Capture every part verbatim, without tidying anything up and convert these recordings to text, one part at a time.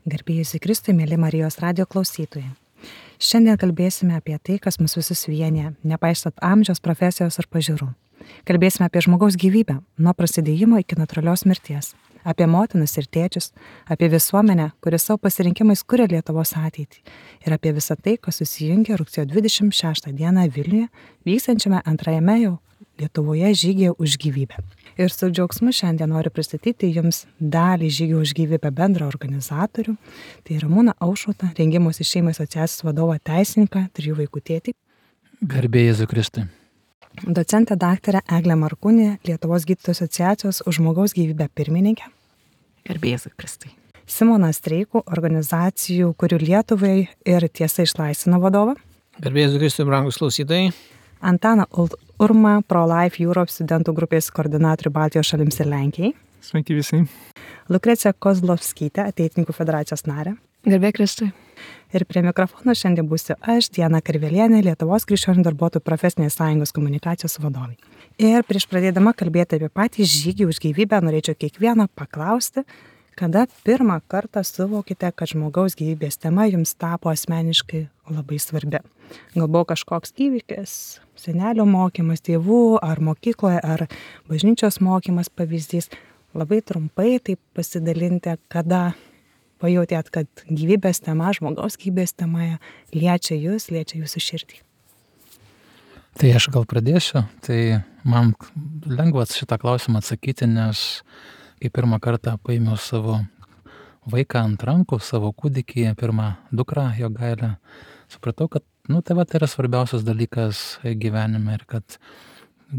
Garbėjusi Kristui, mėly Marijos radijo klausytojai. Šiandien kalbėsime apie tai, kas mus visus vienyje, nepaisant amžiaus, profesijos ar pažiūrų. Kalbėsime apie žmogaus gyvybę, nuo prasidėjimo iki natūralios mirties. Apie motinas ir tėčius, apie visuomenę, kuri savo pasirinkimais kuria Lietuvos ateitį. Ir apie visą tai, kas susijungia rugsėjo dvidešimt šeštą dieną Vilniuje, vykstančiame antrajame jau Lietuvoje žygyje už gyvybę. Ir su džiaugsmu šiandien noriu pristatyti jums dalį žygio už gyvybę bendro organizatorių. Tai Ramūną Aušrotą, rengimosi šeimai asociacijos vadovą teisininką, trijų vaikų tėtį. Garbė Jėzui Kristui. Docentę daktarę Eglę Markūnę, Lietuvos gydytojų asociacijos už žmogaus gyvybę pirmininkę. Garbė Jėzui Kristui. Simoną Streikų, organizacijų, kurių Lietuvai ir Tiesa išlaisvina vadovą. Garbė Jėzui Kristui, brangus klausytojai. Antaną Urmą, Pro-Life Europe studentų grupės koordinatorių Baltijos šalims ir Lenkijai. Sveiki visi. Lukreciją Kozlovskytę, Ateitininkų federacijos narę. Garbė Kristui. Ir prie mikrofono šiandien būsiu aš, Diana Karvelienė, Lietuvos krikščionių darbuotojų profesinės sąjungos komunikacijos vadovė. Ir prieš pradėdama kalbėti apie patį žygį už gyvybę, norėčiau kiekvieną paklausti, kada pirmą kartą suvokite, kad žmogaus gyvybės tema jums tapo asmeniškai labai svarbi. Gal buvo kažkoks įvykis, senelio mokymas, tėvų, ar mokykloje, ar bažnyčios mokymas pavyzdys. Labai trumpai taip pasidalinti, kada pajautėt, kad gyvybės tema, žmogaus gyvybės tema liečia jūs, liečia jūsų širdį. Tai aš gal pradėsiu. Tai man lengva šitą klausimą atsakyti, nes kai pirmą kartą paėmiau savo vaiką ant rankų, savo kūdikį, pirmą dukrą Jogailę, supratau, kad nu, tai va, tai yra svarbiausias dalykas gyvenime ir kad,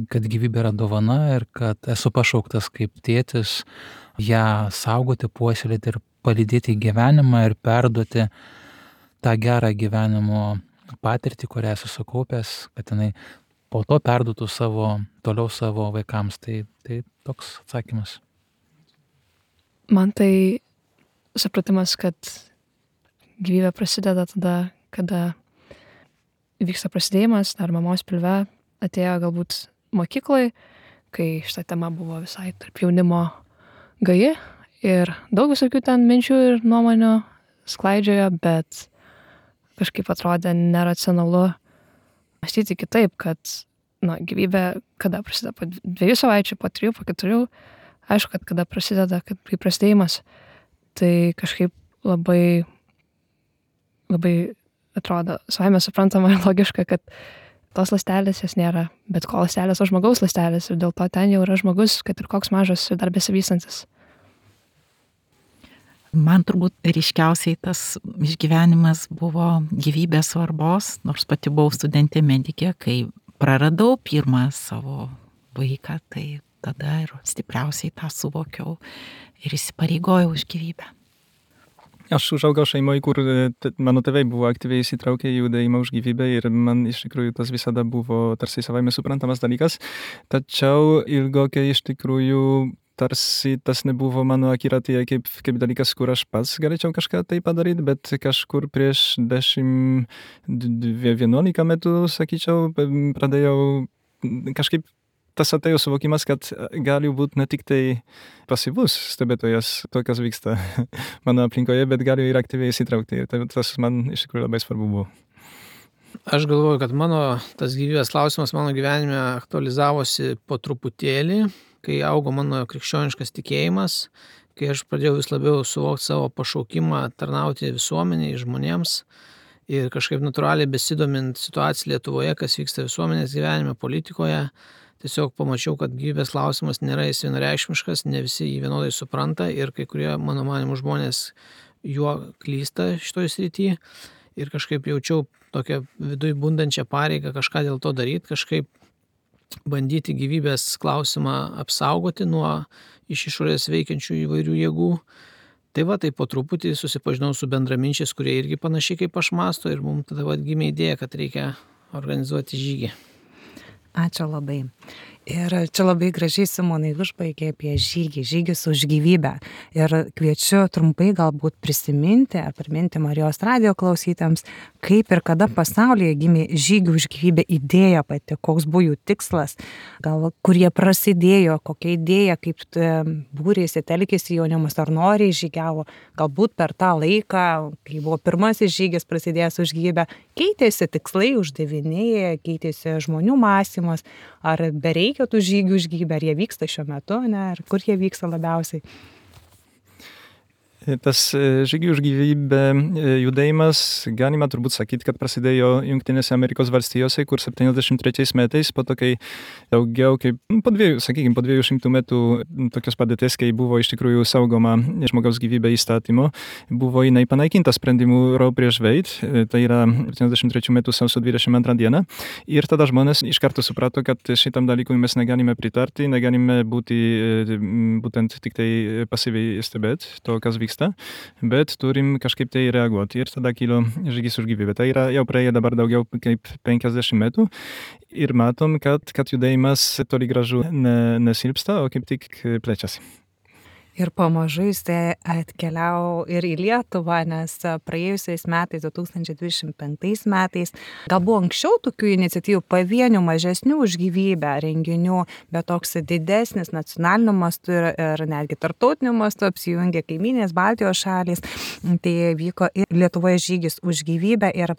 kad gyvybė yra dovana ir kad esu pašauktas kaip tėtis ją saugoti, puoselėti ir palydėti į gyvenimą ir perduoti tą gerą gyvenimo patirtį, kurią esu sukaupęs, kad jinai po to perduotų savo, toliau savo vaikams. Tai, tai toks atsakymas. Man tai supratimas, kad gyvybė prasideda tada, kada vyksta prasidėjimas, dar mamos pilve atėjo galbūt mokyklai, kai šita tema buvo visai tarp jaunimo gaji ir daug visokių ten minčių ir nuomonių sklaidžiojo, bet kažkaip atrodė neracionalu mąstyti kitaip, kad nu, gyvybė kada prasideda po dviejų savaičių, po trijų, po keturių, aišku, kad kada prasideda, kad kai prasidėjimas, tai kažkaip labai, labai atrodo savaime suprantama ir logiška, kad tos ląstelės jas nėra, bet ko ląstelės, o žmogaus ląstelės ir dėl to ten jau yra žmogus, kad ir koks mažas ir dar besivystantis. Man turbūt ryškiausiai tas išgyvenimas buvo gyvybės svarbos, nors pati buvau studentė medikė, kai praradau pirmą savo vaiką, tai tada ir stipriausiai tą suvokiau ir įsipareigojau už gyvybę. Aš užaugau šeimoje, kur t- mano tėvai buvo aktyviai įsitraukę į judėjimą už gyvybę ir man iš tikrųjų tas visada buvo tarsi savaime suprantamas dalykas. Tačiau ilgokai iš tikrųjų tarsi tas nebuvo mano akiratyje kaip, kaip dalykas, kur aš pats galėčiau kažką tai padaryti, bet kažkur prieš dešimt vienuolika metų, sakyčiau, pradėjau kažkaip tas atėjo suvokimas, kad gali būti ne tik tai pasyvus stebėtojas to, kas vyksta mano aplinkoje, bet gali ir aktyviai įsitraukti. Ir tas man iš tikrųjų labai svarbu buvo. Aš galvoju, kad mano tas gyvybės klausimas mano gyvenime aktualizavosi po truputėlį, kai augo mano krikščioniškas tikėjimas, kai aš pradėjau vis labiau suvokti savo pašaukimą tarnauti visuomeniai, žmonėms ir kažkaip natūraliai besidomint situaciją Lietuvoje, kas vyksta visuomenės gyvenime, politikoje. Tiesiog pamačiau, kad gyvybės klausimas nėra jis vienareikšmiškas, ne visi jį vienodai supranta ir kai kurie, mano manimų, žmonės juo klysta šitoj srity ir kažkaip jaučiau tokią viduj bundančią pareigą kažką dėl to daryti, kažkaip bandyti gyvybės klausimą apsaugoti nuo iš išorės veikiančių įvairių jėgų. Tai va, tai po truputį susipažinau su bendraminčiais, kurie irgi panašiai kaip aš mąsto ir mums tada va, gimė idėja, kad reikia organizuoti žygį. Ačiū labai. Ir čia labai gražiai Simonai užbaigė apie žygį, žygis už gyvybę. Ir kviečiu trumpai galbūt prisiminti ar priminti Marijos radijo klausytams, kaip ir kada pasaulyje gimė žygių už gyvybę idėja pati, koks buvo jų tikslas, gal kur jie prasidėjo, kokia idėja, kaip būrėsi, telkėsi jaunimas ar noriai žygiavo, galbūt per tą laiką, kai buvo pirmasis žygis prasidėjęs už gyvybę, keitėsi tikslai, uždaviniai, keitėsi žmonių mąstymas, ar bereikia tų žygių už gyvybę, ar jie vyksta šiuo metu, ne, ar kur jie vyksta labiausiai. Tas žygių už gyvybę judėjimas, galima turbūt sakyti, kad prasidėjo Jungtinėse Amerikos valstijose, kur septyniasdešimt trečiais metais, po to, kai daugiau kaip po dviejų, sakykime, po dviejų šimtų metų tokios padėties, kai buvo iš tikrųjų saugoma žmogaus gyvybė įstatymo, buvo jinai panaikinta sprendimu Roe prieš Wade, tai yra septyniasdešimt trečių metų sausio dvidešimt antrą dieną. Ir tada žmonės iš karto suprato, kad šitam dalykui mes negalime pritarti, negalime būti būtent tik tai pasyviai stebėti to, kas vyksta. Bet turim kažkaip tai reaguoti. Ir tada kilo žygis už gyvybę. Tai yra jau praėję dabar daugiau kaip penkiasdešimt metų. Ir matom, kad, kad judėjimas toli gražu ne, nesilpsta, o kaip tik plečiasi. Ir pamažu jis atkeliavo ir į Lietuvą, nes praėjusiais metais, du tūkstančiai dvidešimt penktais metais, gal buvo anksčiau tokių iniciatyvų pavienių, mažesnių už gyvybę renginių, bet toks didesnis nacionaliniu mastu ir, ir netgi tarptautiniu mastu apsijungė kaimynės Baltijos šalys. Tai vyko ir Lietuvoje žygis už gyvybę ir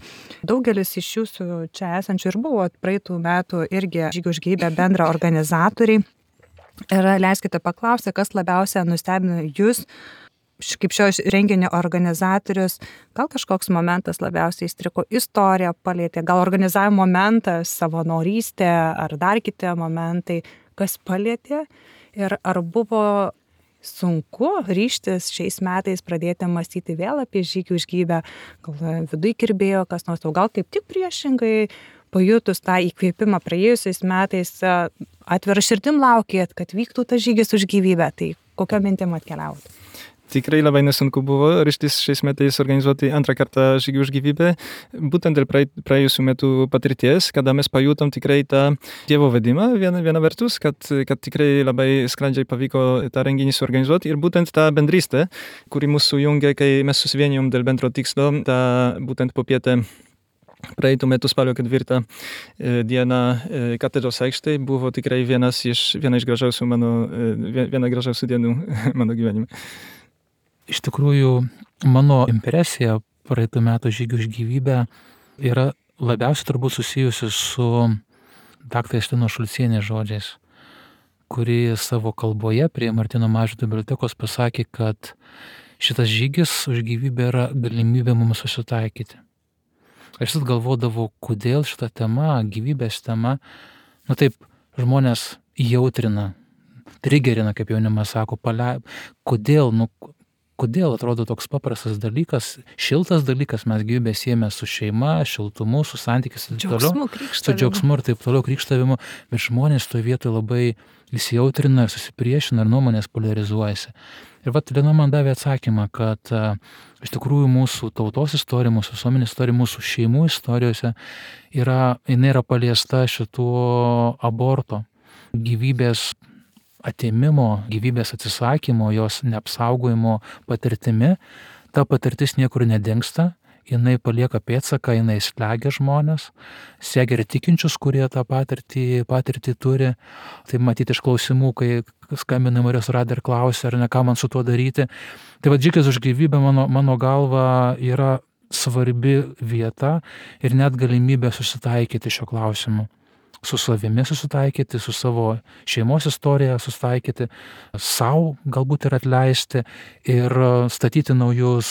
daugelis iš jūsų čia esančių ir buvo praeitų metų irgi žygį už gyvybę bendra organizatoriai. Ir leiskite paklausti, kas labiausiai nustebino jūs, kaip šio renginio organizatorius, gal kažkoks momentas labiausiai įstriko, istorija palėtė, gal organizavimo momentas, savanorystė ar dar kiti momentai, kas palėtė ir ar buvo sunku ryžtis šiais metais pradėti mąstyti vėl apie žygį už gyvybę, gal viduj kirbėjo kas nors, o gal kaip tik priešingai, pajutus tą įkvėpimą praėjusiais metais, atvira širdim laukėt, kad vyktų tas žygis už gyvybę. Tai kokio mintim atkeliaut? Tikrai labai nesunku buvo ryžtis šiais metais organizuoti antrą kartą žygį už gyvybę, būtent dėl praėjusių metų patirties, kada mes pajutom tikrai tą Dievo vedimą viena, viena vertus, kad, kad tikrai labai sklandžiai pavyko tą renginį suorganizuoti ir būtent tą bendrystę, kuri mūsų jungia, kai mes susivienijom dėl bendro tikslo, tą būtent popietę praeitų metų spalio ketvirtą dieną katedros aikštėje buvo tikrai vienas iš, viena iš gražiausių mano, viena gražiausių dienų mano gyvenime. Iš tikrųjų, mano impresija praeitų metų žygių už gyvybę yra labiausiai turbūt susijusi su daktarės Justinos Šulcienės žodžiais, kuri savo kalboje prie Martyno Mažvydo bibliotekos pasakė, kad šitas žygis už gyvybę yra galimybė mums susitaikyti. Aš vis galvodavau, kodėl šita tema, gyvybės tema, nu taip, žmonės jautrina, trigerina, kaip jaunimas sako, palei, kodėl, nu, kodėl atrodo toks paprastas dalykas, šiltas dalykas, mes gyvybę siejame su šeima, šiltumu, su santykis ir taip toliau, su džiaugsmu ir taip toliau krikštavimu, bet žmonės toje vietoje labai įsijautrina ir susipriešina ir nuomonės polarizuojasi. Ir vat Lina man davė atsakymą, kad a, iš tikrųjų mūsų tautos istorija, mūsų visuomenės istorija, mūsų šeimų istorijose yra, jinai yra paliesta šituo aborto, gyvybės atėmimo, gyvybės atsisakymo, jos neapsaugojimo patirtimi. Ta patirtis niekur nedingsta, jinai palieka pėdsaką, jinai slegia žmonės, slegia ir tikinčius, kurie tą patirtį, patirtį turi. Tai matyti iš klausimų, kai skambina Marijos radiją ir klausia, ar ne ką man su tuo daryti. Tai va, žygis už gyvybę mano, mano galva yra svarbi vieta ir net galimybė susitaikyti šio klausimu. Su savimi susitaikyti, su savo šeimos istorija susitaikyti, savo galbūt ir atleisti ir statyti naujus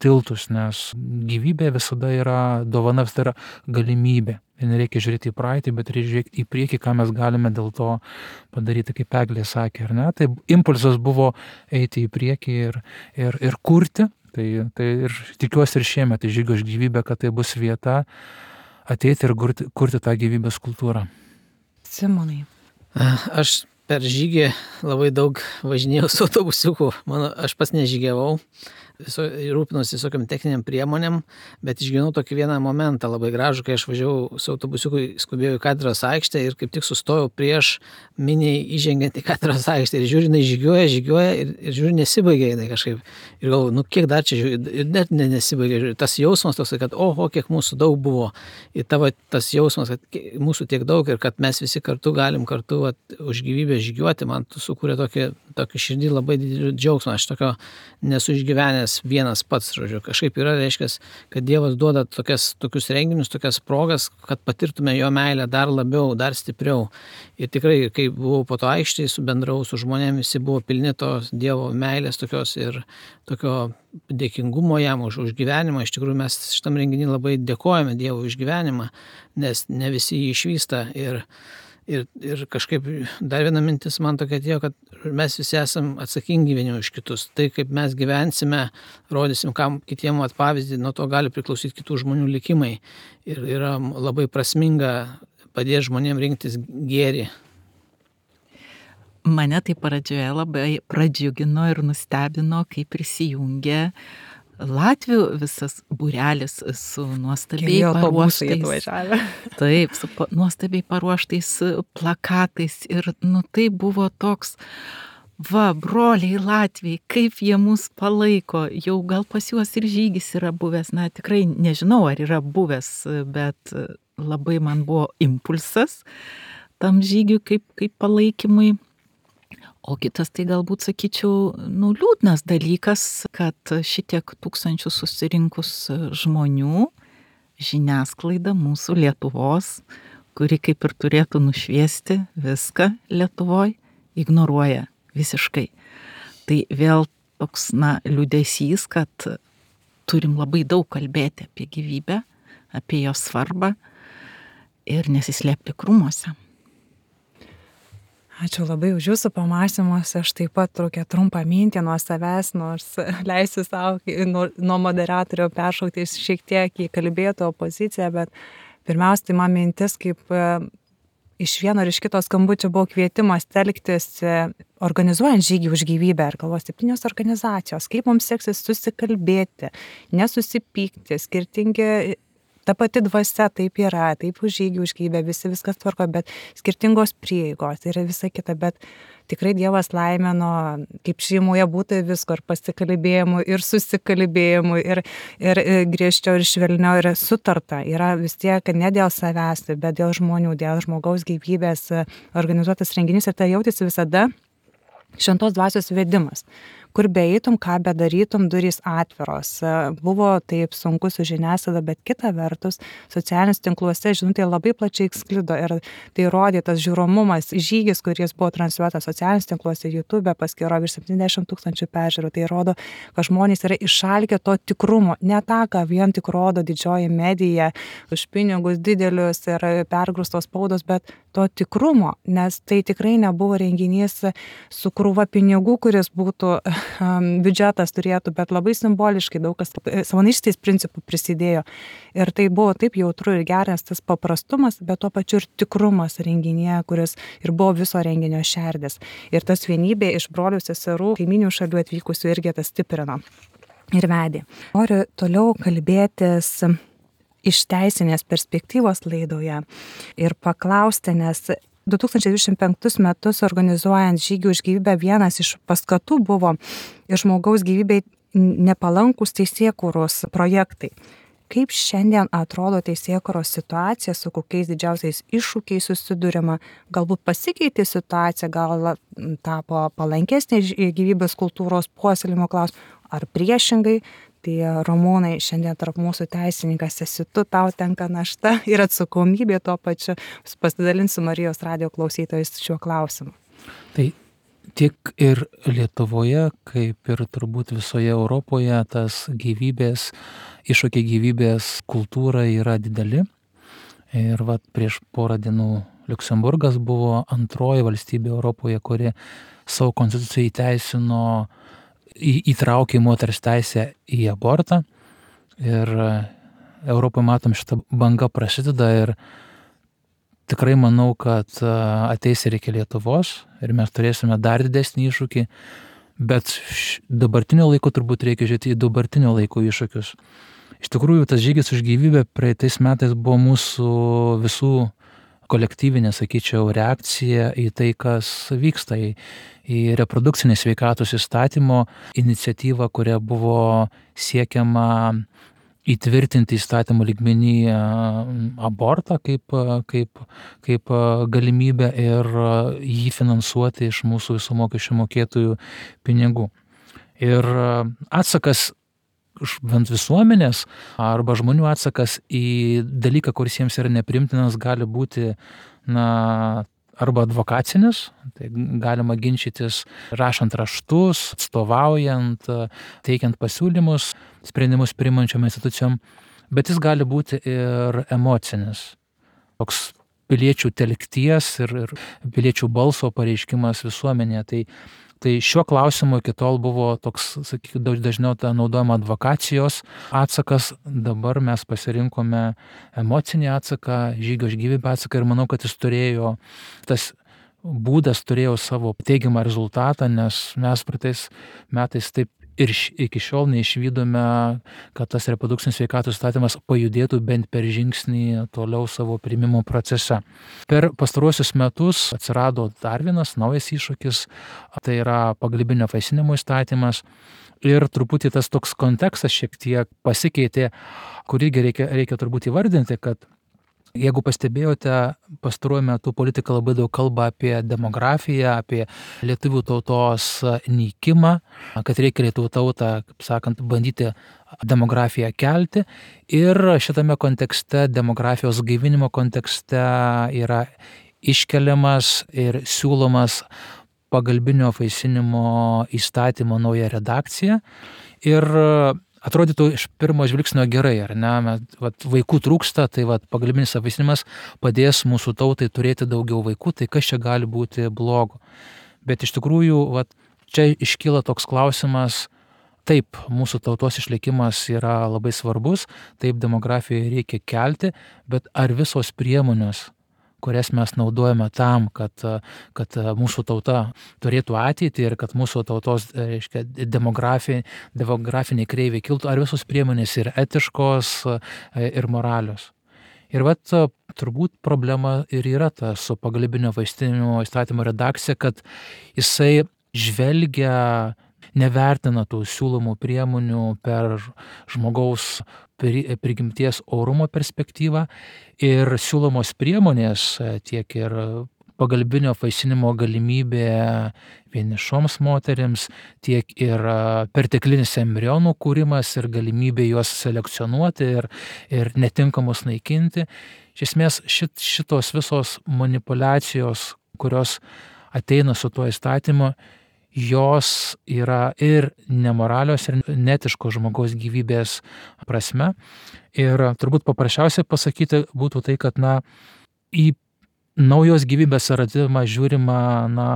tiltus, nes gyvybė visada yra dovana, visada yra galimybė. Ir nereikia žiūrėti į praeitį, bet reikia žiūrėti į priekį, ką mes galime dėl to padaryti, kaip Eglė sakė, ar ne? Tai impulsas buvo eiti į priekį ir, ir, ir kurti. Tai, tai ir tikiuosi ir šiemet į žygio už gyvybę, kad tai bus vieta ateiti ir kurti, kurti tą gyvybės kultūrą. Simonai. Aš per žygį labai daug važinėjau su autobusiuku. Mano, aš pats nežygiavau, viso, rūpinosi visokiam techniniam priemonėm, bet išgyvenau tokį vieną momentą labai gražų, kai aš važiavau su autobusiuku, skubėjau į katedros aikštę ir kaip tik sustojau prieš miniai įžengiant į katedros aikštę ir žiūri, jinai žygiuoja, žygiuoja ir, ir žiūri, nesibaigia jinai kažkaip. Ir galvoju, nu kiek dar čia žiūri, ir net ne, nesibaigia. Žiūri. Tas jausmas toks, kad oho, kiek mūsų daug buvo. Ir tavo tas jausmas, kad mūsų tiek daug ir kad mes visi kartu galim kartu vat, už gyvybę žygiuoti, man sukūrė tokį, tokį širdį labai didelį džiaugsmą. Aš tokio nesu išgyvenęs vienas pats, žodžiu. Kažkaip yra, reiškia, kad Dievas duoda tokias, tokius renginius, tokias progas, kad patirtume jo meilę dar labiau, dar stipriau. Ir tikrai, kai buvau po to aikštėje, subendrau su žmonėmis, visi buvo pilni tos Dievo meilės tokios ir tokio dėkingumo jam už, už gyvenimą. Iš tikrųjų, mes šitam renginį labai dėkojame Dievui už gyvenimą, nes ne visi jį išvysta. Ir, ir, ir kažkaip dar viena mintis man tokia atėjo, kad mes visi esam atsakingi vieni už kitus. Tai, kaip mes gyvensime, rodysim kam kitiem at pavyzdį, nuo to gali priklausyti kitų žmonių likimai. Ir yra labai prasminga padėti žmonėms rinktis gėrį. Mane tai pradžioje labai pradžiugino ir nustebino, kai prisijungė Latvių visas būrelis su nuostabiai paruoštais, taip, su pa, nuostabiai paruoštais plakatais ir nu tai buvo toks, va, broliai Latviai, kaip jie mus palaiko, jau gal pas juos ir žygis yra buvęs, na tikrai nežinau, ar yra buvęs, bet labai man buvo impulsas tam žygiui kaip, kaip palaikymui. O kitas tai galbūt, sakyčiau, nu, liūdnas dalykas, kad šitiek tūkstančių susirinkus žmonių, žiniasklaida mūsų Lietuvos, kuri kaip ir turėtų nušviesti viską Lietuvoj, ignoruoja visiškai. Tai vėl toks, na, liūdesys, kad turim labai daug kalbėti apie gyvybę, apie jos svarbą ir nesislėpti krūmuose. Ačiū labai už jūsų pamąstymus. Aš taip pat tokią trumpą mintį nuo savęs, nors leisiu savo nuo, nuo moderatorių peršaukti šiek tiek į kalbėtojo poziciją, bet pirmiausia, tai man mintis, kaip iš vieno ir iš kito skambučio buvo kvietimas telktis, organizuojant žygį už gyvybę, ir galvos septynios organizacijos, kaip mums seksis susikalbėti, nesusipykti, skirtingi. Ta pati dvasia taip yra, taip už žygį, už gyvybę, visi viskas tvarko, bet skirtingos prieigos ir visa kita, bet tikrai Dievas laimino, kaip šeimoje būtų visko, ir pasikalbėjimų, ir susikalbėjimų, ir, ir griežčiau, ir švelniau, ir sutarta. Yra vis tiek ne dėl savęs, bet dėl žmonių, dėl žmogaus gyvybės organizuotas renginys, ir tai jautėsi visada šventos dvasios vedimas. Kur beeitum, ką bedarytum, durys atviros. Buvo taip sunku su žiniasklaida, bet kita vertus, socialiniuose tinkluose žinutė labai plačiai sklido ir tai rodė tas žiūromumas, žygis, kuris buvo transliuotas socialiniuose tinkluose, YouTube paskyro virš septyniasdešimt tūkstančių peržiūrų. Tai rodo, kad žmonės yra išalkę to tikrumo, ne tą, ką vien tik rodo didžioji medija už pinigus didelius ir pergrūstos spaudos, bet to tikrumo, nes tai tikrai nebuvo renginys su krūva pinigų, kuris būtų biudžetas turėtų, bet labai simboliškai daug kas savanorystės principų prisidėjo. Ir tai buvo taip jautru ir geras tas paprastumas, bet tuo pačiu ir tikrumas renginėje, kuris ir buvo viso renginio šerdis. Ir tas vienybė iš brolių seserų, kaiminių šalių atvykusių irgi tas stiprino ir vedė. Noriu toliau kalbėtis iš teisinės perspektyvos laidoje ir paklausti, nes du tūkstančiai dvidešimt penktus metus organizuojant žygį už gyvybę vienas iš paskatų buvo ir žmogaus gyvybei nepalankūs teisėkūros projektai. Kaip šiandien atrodo teisėkūros situacija, su kokiais didžiausiais iššūkiais susidurima, galbūt pasikeitė situacija, gal tapo palankesnė gyvybės kultūros puoselėjimo klausimas, ar priešingai. Tai Ramūnai, šiandien tarp mūsų teisininkas esi tu, tau tenka našta ir atsakomybė tuo pačiu. Pasidalinsiu Marijos radijo klausytojais šiuo klausimu. Tai tiek ir Lietuvoje, kaip ir turbūt visoje Europoje, tas gyvybės, iššūkiai gyvybės kultūra yra dideli. Ir vat prieš porą dienų Liuksemburgas buvo antroji valstybė Europoje, kuri savo konstituciją įteisino įtraukė moters teisę į abortą. Ir Europoje matom šitą bangą prasideda ir tikrai manau, kad ateis ir iki Lietuvos ir mes turėsime dar didesnį iššūkį, Bet dabartinio laiko turbūt reikia žiūrėti į dabartinio laiko iššūkius. Iš tikrųjų, tas žygis už gyvybę praeitais metais buvo mūsų visų kolektyvinė, sakyčiau, reakcija į tai, kas vyksta, į, į reprodukcinės sveikatos įstatymo iniciatyvą, kuria buvo siekiama įtvirtinti įstatymų lygmenį abortą kaip, kaip, kaip galimybę ir jį finansuoti iš mūsų visų mokesčių mokėtojų pinigų. Ir atsakas bent visuomenės arba žmonių atsakas į dalyką, kuris jiems yra neprimtinas, gali būti na, arba advokacinis, tai galima ginčytis rašant raštus, atstovaujant, teikiant pasiūlymus, sprendimus priimančiom institucijom, bet jis gali būti ir emocinis, toks piliečių telkties ir, ir piliečių balso pareiškimas visuomenėje. Tai Tai šiuo klausimu iki tol buvo toks, sakykime, dažniau ta naudojama advokacijos atsakas, dabar mes pasirinkome emocinį atsaką, žygio už gyvybę atsaką ir manau, kad jis turėjo, tas būdas turėjo savo teigiamą rezultatą, nes mes praeitais metais taip ir iki šiol neišvydome, kad tas reprodukcinės sveikatos įstatymas pajudėtų bent per žingsnį toliau savo priimimo procese. Per pastaruosius metus atsirado dar vienas naujas iššūkis, tai yra pagalbinio apvaisinimo įstatymas. Ir truputį tas toks kontekstas šiek tiek pasikeitė, kurį reikia, reikia turbūt įvardinti, kad jeigu pastebėjote, pastaruoju metu politika labai daug kalba apie demografiją, apie lietuvių tautos nykimą, kad reikia lietuvių tautą, kaip sakant, bandyti demografiją kelti. Ir šitame kontekste, demografijos gaivinimo kontekste yra iškeliamas ir siūlomas pagalbinio apvaisinimo įstatymo nauja redakcija. Ir atrodytų iš pirmo žvilgsnio gerai, ar ne, mes, vat, vaikų trūksta, tai vat, pagalbinis apvaisinimas padės mūsų tautai turėti daugiau vaikų, tai kas čia gali būti blogo. Bet iš tikrųjų, vat, čia iškyla toks klausimas, taip, mūsų tautos išlikimas yra labai svarbus, taip, demografiją reikia kelti, bet ar visos priemonės, kurias mes naudojame tam, kad, kad mūsų tauta turėtų ateitį ir kad mūsų tautos, reiškia, demografi, demografiniai kreiviai kiltų, ar visos priemonės yra etiškos ir moralios. Ir vat turbūt problema ir yra ta su pagalbinio apvaisinimo įstatymo redakcija, kad jisai žvelgia, nevertina tų siūlomų priemonių per žmogaus prigimties orumo perspektyvą ir siūlomos priemonės tiek ir pagalbinio apvaisinimo galimybė vienišoms moterims, tiek ir perteklinis embrionų kūrimas ir galimybė juos selekcionuoti ir, ir netinkamus naikinti. Iš esmės šit, šitos visos manipulacijos, kurios ateina su tuo įstatymu, jos yra ir nemoralios, ir netiškos žmogaus gyvybės prasme. Ir turbūt paprasčiausiai pasakyti būtų tai, kad na, į naujos gyvybės atsiradimą žiūrima na,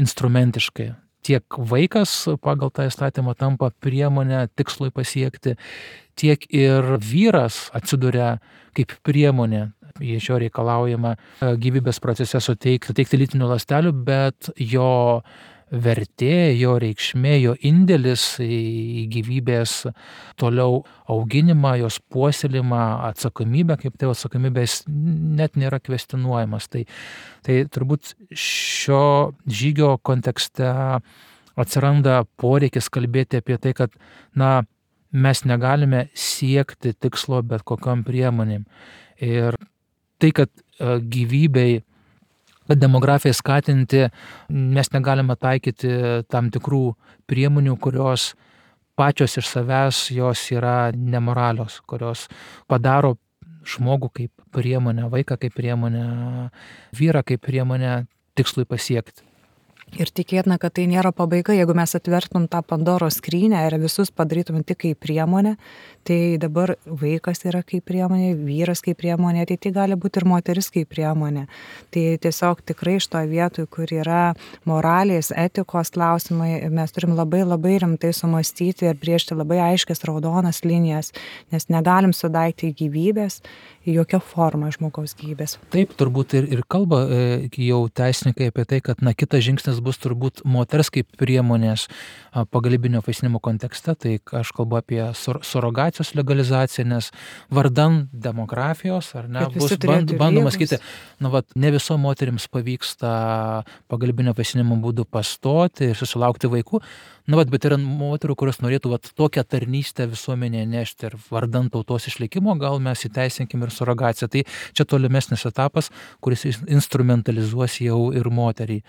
instrumentiškai. Tiek vaikas pagal tą įstatymą tampa priemonė tikslui pasiekti, tiek ir vyras atsiduria kaip priemonė. Iš jo reikalaujama gyvybės procese suteikti, suteikti lytinių ląstelių, bet jo vertė, jo reikšmė, jo indėlis į gyvybės toliau auginimą, jos puoselėjimą, atsakomybę, kaip tėvo atsakomybės net nėra kvestionuojamas. Tai, tai turbūt šio žygio kontekste atsiranda poreikis kalbėti apie tai, kad na, mes negalime siekti tikslo bet kokiom priemonėm. Ir tai, kad gyvybei, kad demografijai skatinti, mes negalime taikyti tam tikrų priemonių, kurios pačios iš savęs jos yra nemoralios, kurios padaro žmogų kaip priemonę, vaiką kaip priemonę, vyrą kaip priemonę tikslui pasiekti. Ir tikėtina, kad tai nėra pabaiga, jeigu mes atvertum tą Pandoros skrynę ir visus padarytum tik kaip priemonę, tai dabar vaikas yra kaip priemonė, vyras kaip priemonė, tai tai gali būti ir moteris kaip priemonė. Tai tiesiog tikrai iš to vietoj, kur yra moralės, etikos klausimai, mes turim labai labai rimtai sumastyti ir brėžti labai aiškias raudonas linijas, nes negalim sudaikti gyvybės į jokią formą žmogaus gyvybės. Taip, turbūt ir, ir kalba jau teisininkai apie tai, kad na, kitas žingsnis bus turbūt moters kaip priemonės pagalbinio apvaisinimo kontekste, tai aš kalbu apie sur surogacijos legalizaciją, nes vardan demografijos, ar ne, bus band, bandoma sakyti, nu, vat, ne viso moterims pavyksta pagalbinio apvaisinimo būdu pastoti ir susilaukti vaikų, nu, vat, bet yra moterų, kurios norėtų vat, tokią tarnystę visuomenėje nešti ir vardan tautos išlikimo, gal mes įteisinkim ir surogaciją. Tai čia tolimesnis etapas, kuris instrumentalizuos jau ir moterį.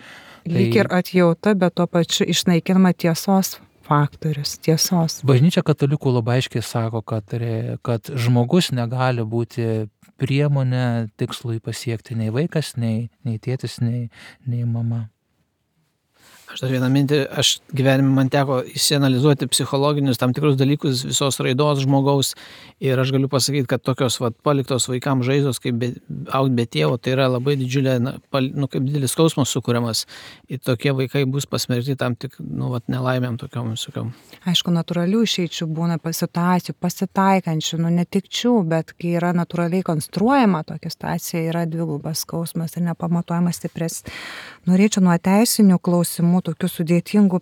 Lyg tai, ir atjauta, bet tuo pačiu išnaikinama tiesos faktorius, tiesos. Bažnyčia katalikų labai aiškiai sako, kad, kad žmogus negali būti priemonė tikslui pasiekti nei vaikas, nei, nei tėtis, nei, nei mama. Aš dar vieną mintį, aš gyvenime man teko įsianalizuoti psichologinius tam tikrus dalykus visos raidos žmogaus ir aš galiu pasakyti, kad tokios vat, paliktos vaikams žaizdos, kaip be, augt be tėvo, tai yra labai didžiulė, na, pal, nu, kaip didelis skausmas sukuriamas ir tokie vaikai bus pasmerkti tam tik, nu, vat, nelaimėm tokiom visokiom. Aišku, natūralių išeičių būna situacijų, pasitaikančių, nu, netikčių, bet kai yra natūraliai konstruojama tokia situacija, yra dvigubas skausmas ir nepamatuojamas stipres. Norėčiau nuo teisinių klausimų tokių sudėtingų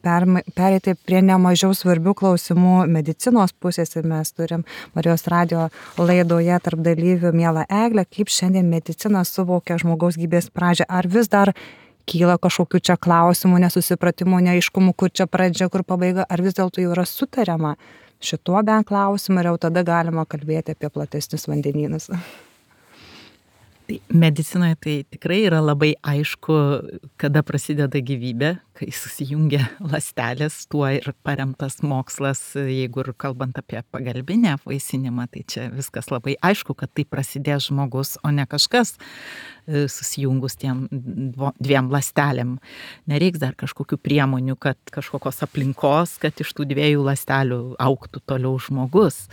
pereiti prie nemažiau svarbių klausimų medicinos pusės ir mes turim Marijos radio laidoje tarp dalyvių mielą Eglę, kaip šiandien medicina suvokia žmogaus gyvybės pradžią. Ar vis dar kyla kažkokių čia klausimų, nesusipratimų, neaiškumų, kur čia pradžia, kur pabaiga, ar vis dėlto jau yra sutariama šituo bent klausimu ir jau tada galima kalbėti apie platesnius vandenynus. Medicinoje tai tikrai yra labai aišku, kada prasideda gyvybė, kai susijungia ląstelės, tuo ir paremtas mokslas, jeigu ir kalbant apie pagalbinę apvaisinimą, tai čia viskas labai aišku, kad tai prasidės žmogus, o ne kažkas susijungus tiem dviem ląstelėm. Nereiks dar kažkokių priemonių, kad kažkokios aplinkos, kad iš tų dviejų ląstelių augtų toliau žmogus.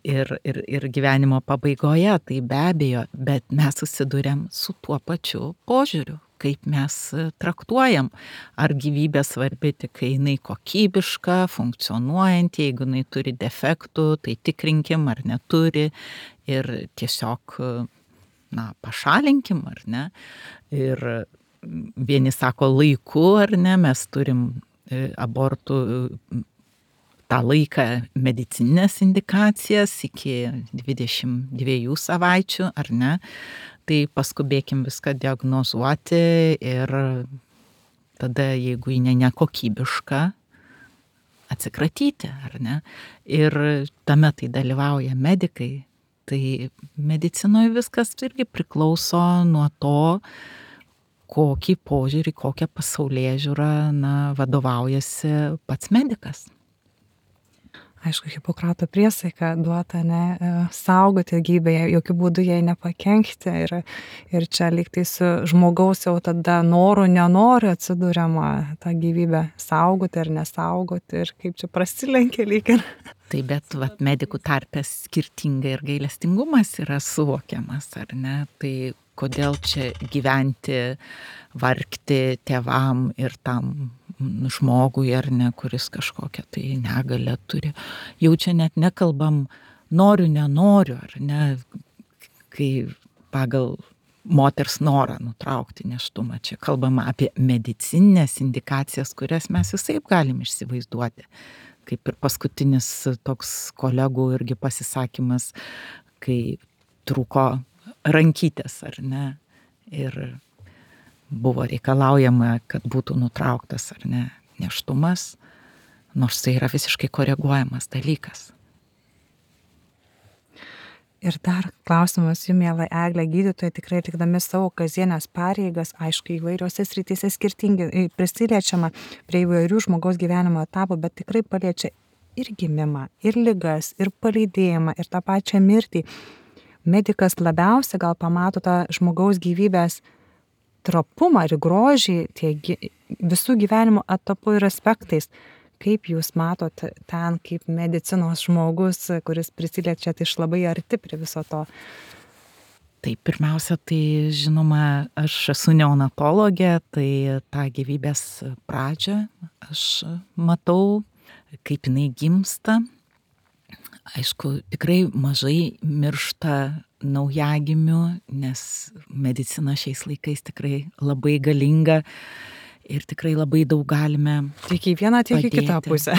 Ir, ir, ir gyvenimo pabaigoje, tai be abejo, bet mes susiduriam su tuo pačiu požiūriu, kaip mes traktuojam, ar gyvybė svarbi tik, kai jinai kokybiška, funkcionuojanti, jeigu jinai turi defektų, tai tikrinkim, ar neturi ir tiesiog, na, pašalinkim, ar ne. Ir vieni sako laiku, ar ne, mes turim abortų tą laiką medicininės indikacijas iki dvidešimt dviejų savaičių, ar ne, tai paskubėkim viską diagnozuoti ir tada, jeigu ji nekokybiška, atsikratyti, ar ne. Ir tame tai dalyvauja medikai, tai medicinoje viskas irgi priklauso nuo to, kokį požiūrį, kokią pasaulėžiūrą, na, vadovaujasi pats medikas. Aišku, Hipokrato priesaika duota, ne, saugoti gyvybę, jokių būdų jai nepakenkti ir, ir čia lygtai su žmogaus jau tada noru, nenoriu atsidūriama tą gyvybę saugoti ar nesaugoti ir kaip čia prasilenkia lyg ir. Tai bet vat, medikų tarpės skirtingai ir gailestingumas yra suvokiamas, ar ne? Tai kodėl čia gyventi, vargti tėvam ir tam žmogui, ar ne, kuris kažkokią tai negalę turi. Jau čia net nekalbam noriu, nenoriu, ar ne, kai pagal moters norą nutraukti nėštumą. Čia kalbama apie medicininės indikacijas, kurias mes visaip galim išsivaizduoti. Kaip ir paskutinis toks kolegų irgi pasisakymas, kai trūko rankytės, ar ne, ir buvo reikalaujama, kad būtų nutrauktas, ar ne, nėštumas, nors tai yra visiškai koreguojamas dalykas. Ir dar klausimas jums, miela Eglė, gydytojai tikrai atlikdami savo kasdienės pareigas, aišku, įvairiose srityse skirtingai prisiliečiama prie įvairių žmogaus gyvenimo etapų, bet tikrai paliečia ir gimimą, ir ligas, ir palydėjimą, ir tą pačią mirtį. Medikas labiausiai gal pamato tą žmogaus gyvybės trapumą ir grožį tiek visų gyvenimo etapų ir aspektais. Kaip jūs matote ten, kaip medicinos žmogus, kuris prisiliečiat iš labai arti prie viso to? Tai pirmiausia, tai žinoma, aš esu neonatologė, tai tą gyvybės pradžią aš matau, kaip jinai gimsta. Aišku, tikrai mažai miršta naujagimių, nes medicina šiais laikais tikrai labai galinga ir tikrai labai daug galime. Tiek į vieną, tiek į kitą padėti. pusę.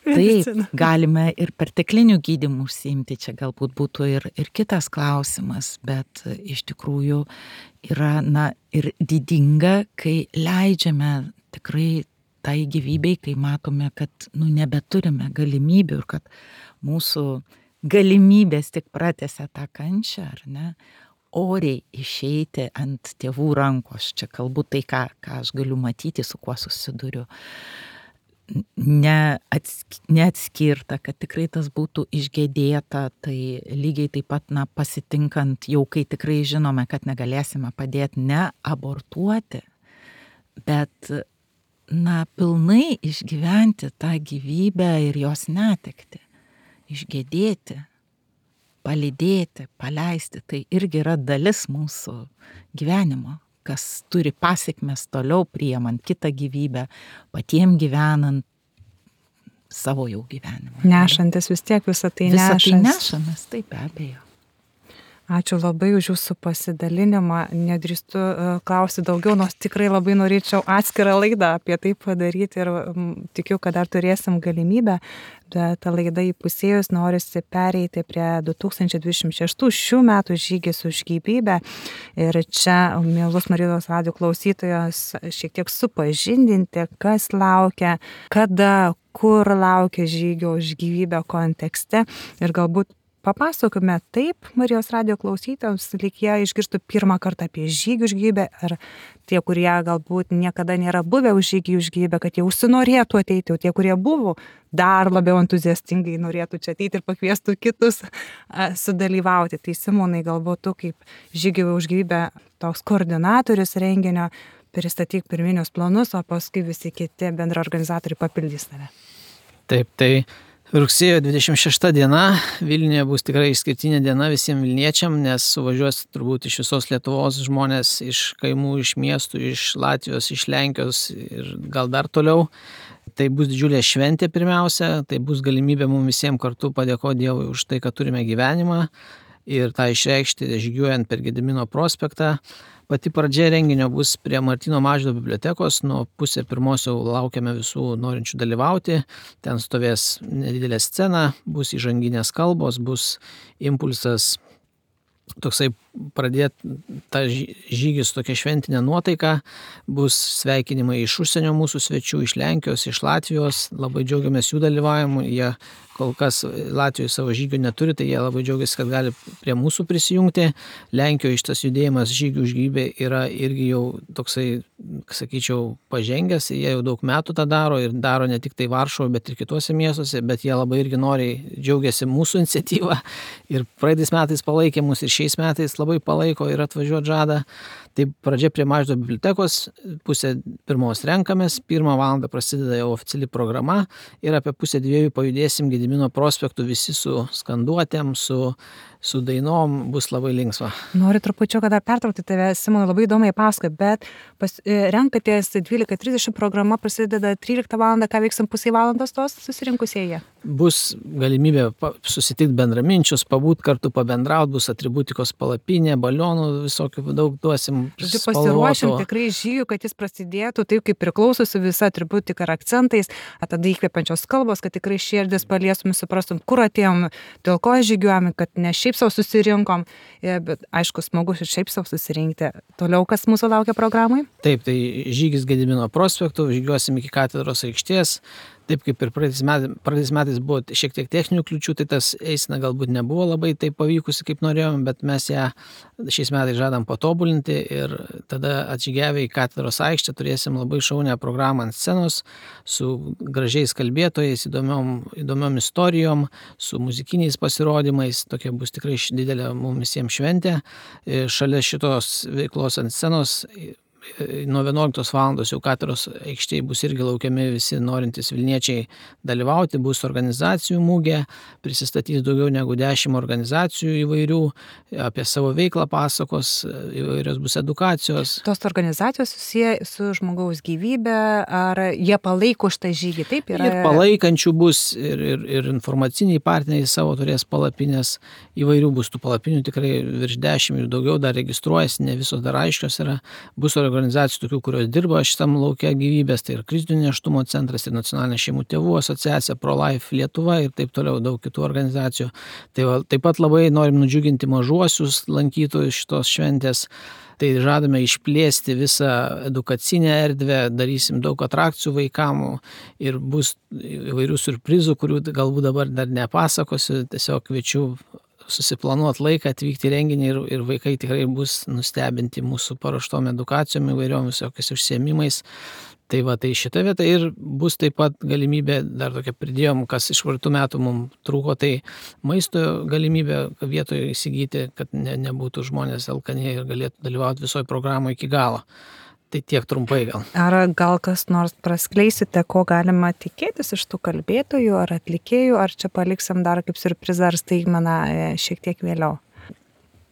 Taip, galime ir perteklinių gydymų užsiimti, čia galbūt būtų ir, ir kitas klausimas, bet iš tikrųjų yra, na, ir didinga, kai leidžiame tikrai tai gyvybei, kai matome, kad, nu, nebeturime galimybių ir kad mūsų galimybės tik pratęsia tą kančią, ar ne, oriai išeiti ant tėvų rankos. Čia kalbu tai, ką, ką aš galiu matyti, su kuo susiduriu. Neatsk, neatskirta, kad tikrai tas būtų išgėdėta, tai lygiai taip pat, na, pasitinkant jau, kai tikrai žinome, kad negalėsime padėti, ne abortuoti, bet, na, pilnai išgyventi tą gyvybę ir jos netekti, išgėdėti, palydėti, paleisti, tai irgi yra dalis mūsų gyvenimo, kas turi pasiekmes toliau priimant kitą gyvybę, patiem gyvenant savo jau gyvenimą. Nešantis vis tiek visą tai Visą nešas. tai nešamės, taip, be abejo. Ačiū labai už jūsų pasidalinimą. Nedrįstu uh, klausyti daugiau, nors tikrai labai norėčiau atskirą laidą apie tai padaryti ir um, tikiu, kad dar turėsim galimybę, bet ta laida įpusėjus norisi pereiti prie du tūkstančiai dvidešimt šeštų šių metų žygis už gyvybę. Ir čia, mielus Marijos radijo klausytojos, šiek tiek supažindinti, kas laukia, kada, kur laukia žygio už gyvybę kontekste ir galbūt papasakome taip Marijos radijo klausytojams, lyg jie išgirstų pirmą kartą apie žygį už gyvybę, ar tie, kurie galbūt niekada nėra buvę už žygį už gyvybę, kad jie užsinorėtų ateiti, o tie, kurie buvo, dar labiau entuziastingai norėtų čia ateiti ir pakviestų kitus a, sudalyvauti. Tai Simonai, galbūt tu kaip žygį už gyvybę toks koordinatorius renginio, pristatyk pirminius planus, o paskui visi kiti bendraorganizatoriai papildys tave. Taip, tai rugsėjo dvidešimt šešta diena Vilniuje bus tikrai išskirtinė diena visiems Vilniečiam, nes suvažiuos turbūt iš visos Lietuvos žmonės, iš kaimų, iš miestų, iš Latvijos, iš Lenkijos ir gal dar toliau. Tai bus didžiulė šventė pirmiausia, tai bus galimybė mums visiems kartu padėkoti Dievui už tai, kad turime gyvenimą ir tą išreikšti žygiuojant per Gedimino prospektą. Pati pradžia renginio bus prie Martyno Mažvydo bibliotekos, nuo pusė pirmos jau laukiame visų norinčių dalyvauti, ten stovės nedidelė scena, bus įžanginės kalbos, bus impulsas toksai pradėti tą žygį su tokia šventinė nuotaika, bus sveikinimai iš užsienio mūsų svečių, iš Lenkijos, iš Latvijos, labai džiaugiamės jų dalyvavimu, jie kol kas Latvijoje savo žygių neturi, tai jie labai džiaugiasi, kad gali prie mūsų prisijungti. Lenkijoje šitas judėjimas žygių už gyvybę yra irgi jau toksai, sakyčiau, pažengęs, jie jau daug metų tą daro ir daro ne tik tai Varšuvoje, bet ir kitose miestuose, bet jie labai irgi noriai džiaugiasi mūsų iniciatyvą ir praeitais metais palaikė mus ir šiais metais labai palaiko ir atvažiuoti žada. Tai pradžia prie Mažvydo bibliotekos, pusė pirmos renkamės, pirmą valandą prasideda jau oficiali programa ir apie pusę dviejų pajudėsim Gedimino prospektu visi su skanduotėm, su, su dainom, bus labai linksma. Noriu trupučiuką dar pertraukti tave, Simonai, labai įdomiai pasakoji, bet pas, renkatės dvylika trisdešimt, programa prasideda tryliktą valandą, ką veiksim pusę valandos tos susirinkusieji? Bus galimybė susitikti bendraminčius, pabūt kartu, pabendrauti, bus atributikos palapinė, balionų visokių daug duosim. Žodžiu, pasiruošim tikrai žygių, kad jis prasidėtų taip, kaip priklausosi visa atributika ir akcentais, a tada įkvepiančios kalbos, kad tikrai širdis paliesum, suprastum, kur atėjom, dėl ko žygiuojame, kad ne šiaip savo susirinkom, bet aišku, smagu ir šiaip savo susirinkti. Toliau, kas mūsų laukia programai? Taip, tai žygis Gedimino prospektu, žygiuosim iki katedros aikštės. Taip kaip ir praeitais metais, praeitais metais buvo šiek tiek techninių kliūčių, tai tas eisena galbūt nebuvo labai taip pavykusi, kaip norėjom, bet mes ją šiais metais žadam patobulinti ir tada atžygiavę į katedros aikštę turėsim labai šaunią programą ant scenos su gražiais kalbėtojais, įdomiom, įdomiom istorijom, su muzikiniais pasirodymais, tokia bus tikrai didelė mums visiems šventė. Šalia šitos veiklos ant scenos nuo vienuoliktos valandos jau katedros aikštėje bus irgi laukiami visi norintys Vilniečiai dalyvauti, bus organizacijų mūgė, prisistatys daugiau negu dešimt organizacijų įvairių, apie savo veiklą pasakos, įvairios bus edukacijos. Tos organizacijos susiję su žmogaus gyvybė, ar jie palaiko šitą žygį, taip yra? Ir palaikančių bus, ir, ir, ir informaciniai partneriai savo turės palapinės, įvairių bus tų palapinių, tikrai virš dešimt ir daugiau dar registruojasi, ne visos dar aiškios yra, bus organizacijos organizacijų, tokių, kurios dirba šitam laukia gyvybės, tai ir krizinio nėštumo centras, ir Nacionalinė šeimų tėvų asociacija, ProLife Lietuva ir taip toliau daug kitų organizacijų. Tai va, taip pat labai norim nudžiuginti mažuosius lankytojus šitos šventės. Tai žadame išplėsti visą edukacinę erdvę, darysim daug atrakcijų vaikamų ir bus įvairių surprizų, kurių galbūt dabar dar nepasakosiu. Tiesiog kviečiu susiplanuoti laiką, atvykti į renginį ir, ir vaikai tikrai bus nustebinti mūsų paruoštom edukacijom, įvairiom visokiais užsiėmimais. Tai va, tai šita vieta ir bus taip pat galimybė, dar tokia pridėjom, kas iš praeitų metų mums trūko, tai maisto galimybė vietoje įsigyti, kad ne, nebūtų žmonės alkani ir galėtų dalyvauti visoje programoje iki galo. Tai tiek trumpai gal. Ar gal kas nors praskleisite, ko galima tikėtis iš tų kalbėtojų ar atlikėjų, ar čia paliksim dar kaip siurprizą ar staigmeną šiek tiek vėliau?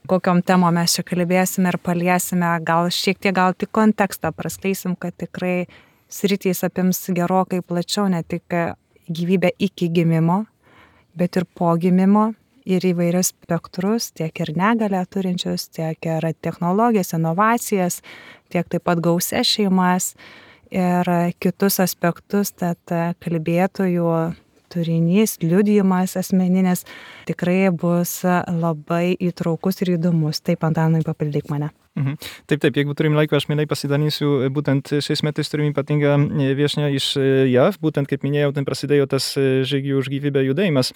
Kokiom temom mes čia kalbėsime ir paliesime, gal šiek tiek gal tik kontekstą praskleisim, kad tikrai sritys apims gerokai plačiau, ne tik gyvybę iki gimimo, bet ir po gimimo ir įvairius spektrus, tiek ir negalę turinčius, tiek ir technologijas, inovacijas, tiek taip pat gausias šeimas ir kitus aspektus, tad kalbėtojų turinys, liudijimas asmeninis tikrai bus labai įtraukus ir įdomus. Taip, Antanai, papildyk mane. Mhm. Taip, taip, jeigu turim laiko, aš mielai pasidalinsiu būtent šiais metais turim ypatingą viešnią iš J A V, būtent kaip minėjau, ten prasidėjo tas žygių už gyvybę judėjimas.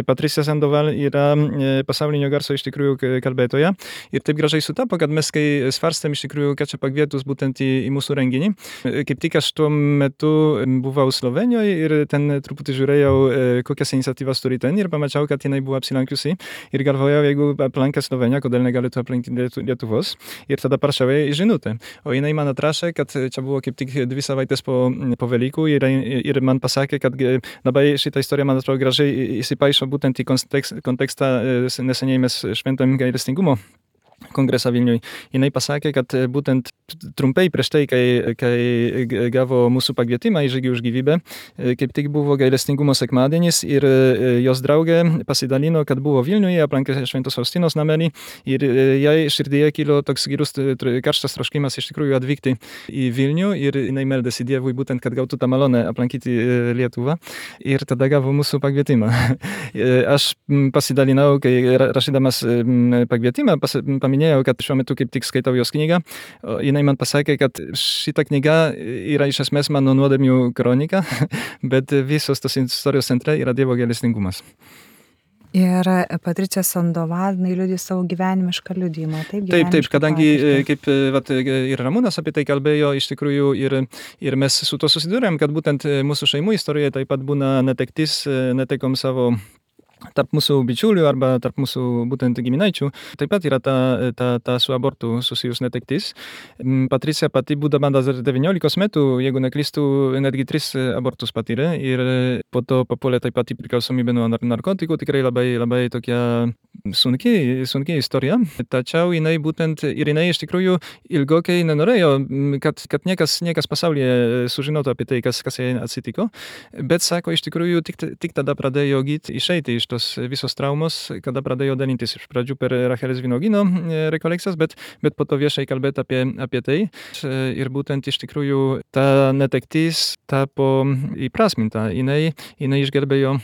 Patricia Sandoval yra pasaulinio garso iš tikrųjų kalbėtoja ir taip gražiai sutapo, kad mes kai svarstėm iš tikrųjų, kad čia pakvietus būtent į, į mūsų renginį, kaip tik aš tuo metu buvau Slovenijoje ir ten truputį žiūrėjau, kokias iniciatyvas turi ten ir pamačiau, kad jinai buvo apsilankiusi ir galvojau, jeigu aplankę Sloveniją, kodėl negalėtų aplankyti Lietuvos. Ir tada parašiau jai žinutę. O jinai man atrašė, kad čia buvo kaip tik dvi savaitės po, po Velykų ir, ir man pasakė, kad labai šitą istoriją, man atrodo, gražiai įsipaišo būtent į kontekst, kontekstą neseniai mes šventam gailestingumo kongresą Vilniuje. Jinai pasakė, kad būtent trumpai prieš tai, kai, kai gavo mūsų pakvietimą į žygį už gyvybę, kaip tik buvo gailestingumo sekmadienis ir jos draugė pasidalino, kad buvo Vilniuje, aplankė Šventos Faustinos namelį ir jai širdyje kilo toks gilus karštas troškimas iš tikrųjų atvykti į Vilnių ir jinai meldėsi Dievui būtent, kad gautų tą malonę aplankyti Lietuvą ir tada gavo mūsų pakvietimą. Aš pasidalinau, kai rašydamas pakvietimą, pas, paminėjau, kad šiuo metu kaip tik skaitau jos knygą. Jinai man pasakė, kad šita knyga yra iš esmės mano nuodėmių kronika, bet visos tos istorijos centre yra Dievo gailestingumas. Ir Patricia Sandoval, jinai liudija savo gyvenimišką liudijimą. Taip, taip, taip, kadangi kaip vat, ir Ramūnas apie tai kalbėjo, iš tikrųjų ir, ir mes su to susidūrėm, kad būtent mūsų šeimų istorijoje taip pat būna netektis, netekom savo tarp mūsų bičiulių arba tarp mūsų būtent giminaičių. Taip pat yra ta, ta, ta su abortu susijus netektis. Patricia pati būdama dar devyniolikos metų, jeigu neklystu, netgi tris abortus patyrė ir po to papuolė taip pat į priklausomybę nuo narkotikų. Tikrai labai, labai tokia sunki, sunki istorija. Tačiau jinai būtent ir jinai iš tikrųjų ilgokai nenorėjo, kad, kad niekas, niekas pasaulyje sužinotų apie tai, kas, kas jai atsitiko. Bet sako, iš tikrųjų tik, tik tada pradėjo gyti išeiti iš tos visos traumos, kada pradėjo dalintis iš pradžių per Rachelės vynuogyno rekolekcijas, bet, bet po to viešai kalbėti apie, apie tai. Ir būtent iš tikrųjų ta netektis tapo įprasminta. Jinai, jinai išgelbėjo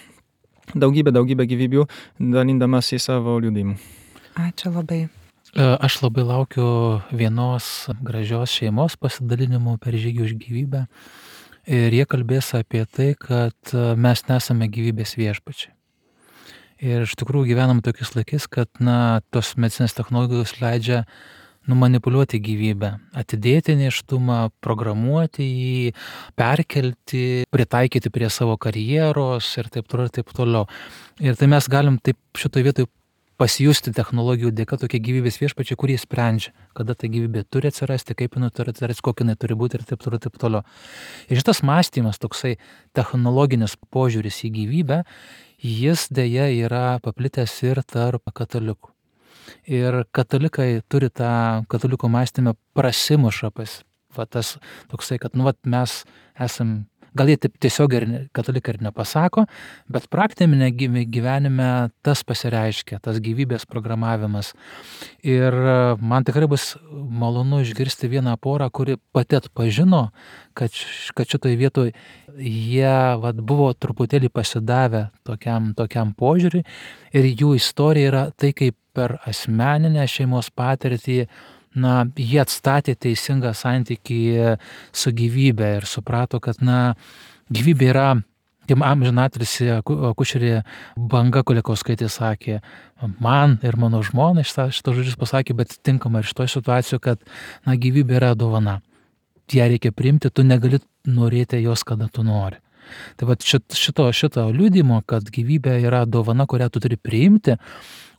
daugybę, daugybę gyvybių, dalindamas į savo liudijimu. Ačiū labai. Aš labai laukiu vienos gražios šeimos pasidalinimų per žygį už gyvybę. Ir jie kalbės apie tai, kad mes nesame gyvybės viešpačiai. Ir iš tikrųjų gyvenam tokiais laikais, kad na, tos medicinės technologijos leidžia numanipuliuoti gyvybę, atidėti nėštumą, programuoti jį, perkelti, pritaikyti prie savo karjeros ir taip toliau ir taip toliau. Ir tai mes galim taip šitoje vietoje pasijusti technologijų dėka tokie gyvybės viešpačiai, kurie sprendžia, kada ta gyvybė turi atsirasti, kaip jinai turi atsirasti, kokia jinai turi būti ir taip toliau, taip toliau. Ir šitas mąstymas, toksai technologinis požiūris į gyvybę, jis dėja yra paplitęs ir tarp katalikų. Ir katalikai turi tą katalikų mąstymą prasimuša pas, va tas toksai, kad nu, va, mes esam gal jie taip tiesiog ir katalikai ir nepasako, bet praktinėme gyvenime tas pasireiškia, tas gyvybės programavimas. Ir man tikrai bus malonu išgirsti vieną porą, kuri pati atpažino, kad, kad šitoj vietoj jie vat, buvo truputėlį pasidavę tokiam, tokiam požiūriui ir jų istorija yra tai, kaip per asmeninę šeimos patirtį na, jie atstatė teisingą santykį su gyvybe ir suprato, kad na, gyvybė yra, kaip amžinatilsį akušerė Banga Kulikauskaitė sakė, man ir mano žmonai šitą žodžius pasakė, bet tinkama ir šitoje situacijoje, kad na, gyvybė yra dovana. Ją reikia priimti, tu negali norėti jos, kada tu nori. Tai va šito, šito liudimo, kad gyvybė yra dovana, kurią tu turi priimti,